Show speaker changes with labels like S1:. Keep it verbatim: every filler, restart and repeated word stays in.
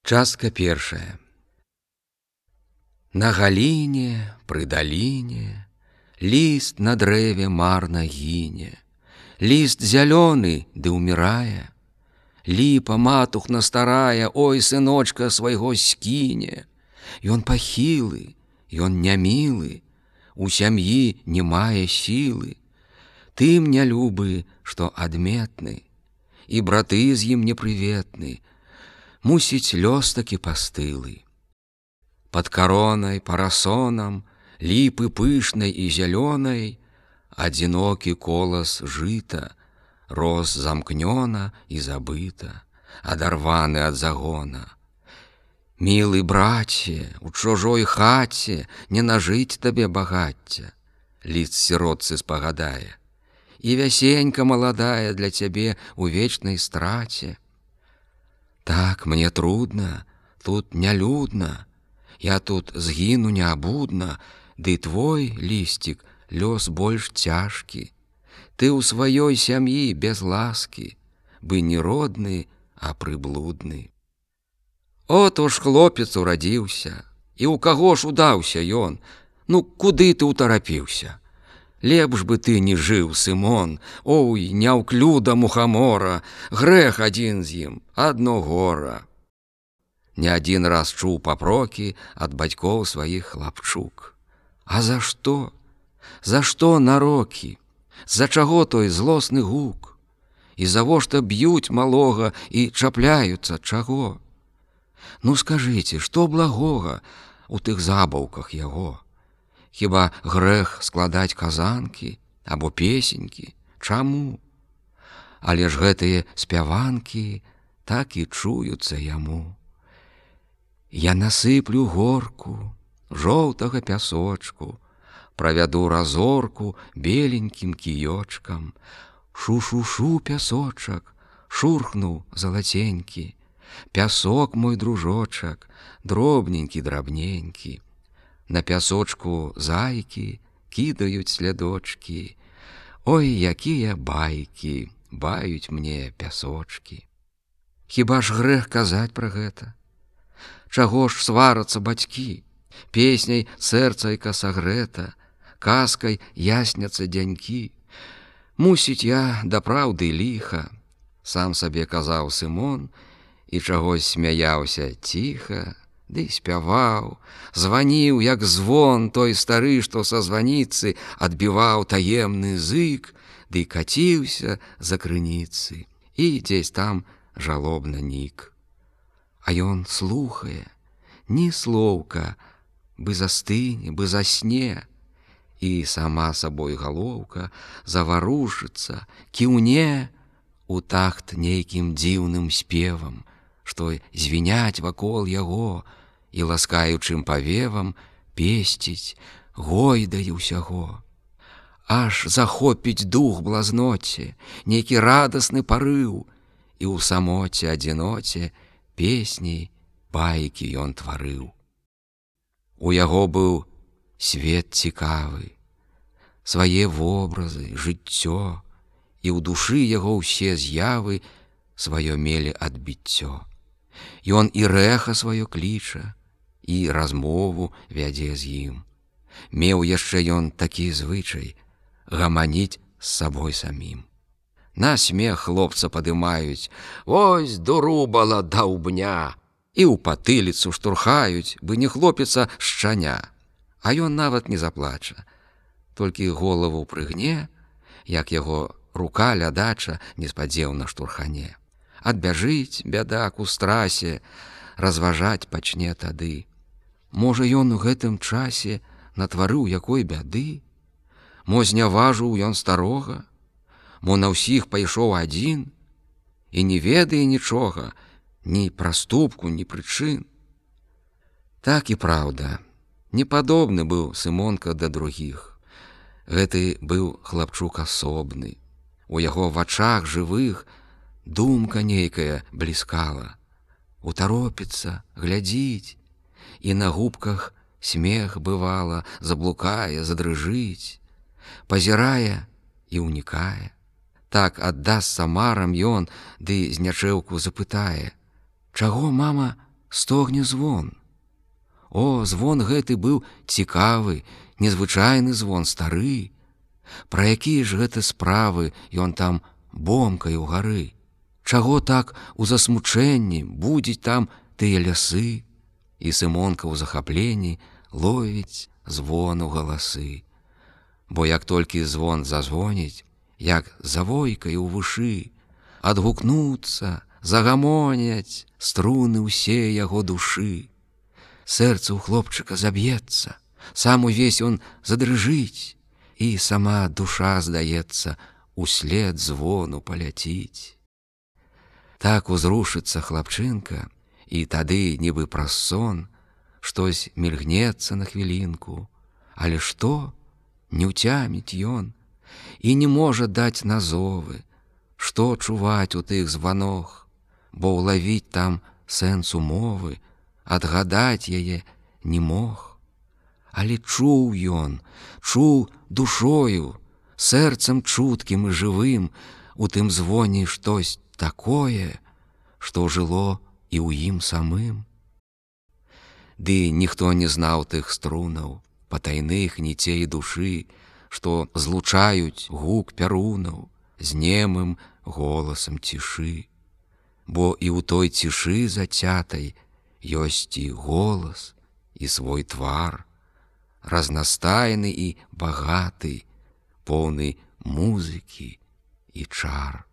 S1: Частка першая. На галіне, пры даліне, ліст на дрэве марна гіне, ліст зялёны ды ўмірае, ліпа матухна старая, ой, сыночка свайго скіне. Ён пахілы, ён нямілы, у сям'і не мае сілы, тым нялюбы, што адметны, і браты з ім непрыветны, мусіць лёс такі пастылы. Пад каронай, парасонам, ліпы пышнай і зялёнай, адзінокі колас жыта рос замкнёна і забыта, адарваны ад загона. Мілы браце, у чужой хаце не нажыць табе багацця, ліст сіротцы спагадае, і вясенька маладая для цябе у вечнай страце. Так, мне трудно, тут нялюдна, я тут згіну неабудна, ды твой, лістик, лёс больш цяжкі. Ты ў сваёй сям'і без ласкі, бы не родны, а прыблудны. От уж хлопец урадзіўся, і ў каго ж удаўся ён, ну куды ты ўтарапіўся? Лепш бы ты не жыў, Сымон, ой, няўклюда мухамора, грэх адзін з ім, адно гора. Не адзін раз чуў папрокі ад бацькоў сваіх хлапчук. А за што? За што нарокі? За чаго той злосны гук? І завошта б'юць малога і чапляюцца чаго? Ну скажыце, што благога у тых забаўках яго? Хіба грэх складаць казанкі або песенькі? Чаму? Але ж гэтыя спяванкі так і чуюцца яму. Я насыплю горку жоўтага пясочку, правяду разорку беленькім кіёчкам. Шу-шу-шу, пясочак, шурхнуў залаценькі, пясок мой дружочак, дробненькі, драбненькі. На пясочку зайкі кідаюць слядочкі. Ой, якія байкі баюць мне пясочкі. Хіба ж грэх казаць пра гэта? Чаго ж сварацца бацькі? Песняй сэрцайка сагрэта, казкай ясняцца дзянькі. Мусіць, я да праўды ліха, сам сабе казаў Сымон, і чагось смяяўся ціха, ды спяваў, званіў, як звон той стары, што са званіцы адбіваў таемны зык, ды каціўся за крыніцы, і дзесь там жалобна нік. А ён слухае, ні слоўка, бы застыне, бы засне, і сама сабой галоўка заварушыцца, кіўне у такт нейкім дзіўным спевам, што звіняць вакол яго і ласкаючым павевам песціць, гойдае ўсяго. Аж захопіць дух блазноце, нейкі радасны парыў, і ў самоце адзіноце песні, байкі ён тварыў. У яго быў свет цікавы, свае вобразы, жыццё, і ў душы яго ўсе з'явы сваё мелі адбіццё. Ён і рэха сваё кліча, і размову вядзе з ім. Меў яшчэ ён такі звычай гаманіць з сабой самім. На смех хлопца падымаюць, вось дурубала даўбня, і ў патыліцу штурхаюць, бы не хлопіца шчаня. А ён нават не заплача, толькі голову прыгне, як яго рука лядача неспадзеўна штурхане. Адбяжыць бядак у страсе, разважаць пачне тады. Можа, ён у гэтым часе натварыў якой бяды? Мо зняважыў ён старога? Мо на ўсіх пайшоў адзін? І не ведае нічога, ні праступку, ні прычын. Так і праўда, не падобны быў Сымонка да другіх. Гэты быў хлапчук асобны. У яго вачах жывых думка нейкая бліскала. Утаропіцца, глядзіць, і на губках смех бывала, заблукае, задрыжыць, пазірае і ўнікае. Так аддасца марам ён, ды з нячэўку запытае: чаго, мама, стогне звон. О, звон гэты быў цікавы, незвычайны звон, стары. Пра якія ж гэта справы ён там бомкае ў гары? Чаго так у засмучэнні будзіць там тыя лясы? І Сымонка ў захапленні ловіць звону галасы. Бо як толькі звон зазвоніць, як завойкае ў вушы, адгукнуцца, загамоняць струны ўсе яго душы. Сэрца ў хлопчыка заб'ецца, сам увесь он задрыжыць, і сама душа, здаецца, услед звону паляціць. Так узрушыцца хлапчынка, і тады, нібы праз сон, штось мільгнецца на хвілінку, але што? Не ўцяміць ён і не можа даць назовы, што чуваць у тых званох, бо ўлавіць там сэнс умовы, адгадаць яе не мог. Але чуў ён, чуў душою, сэрцам чуткім і жывым у тым звоне штось такое, што жыло і ў ім самым. Ды ніхто не знаў тых струнаў, патайных ніцей душы, што злучаюць гук пярунаў з немым голасам цішы. Бо і ў той цішы зацятай ёсць і голас, і свой твар, разнастайны і багаты, поўны музыкі і чар.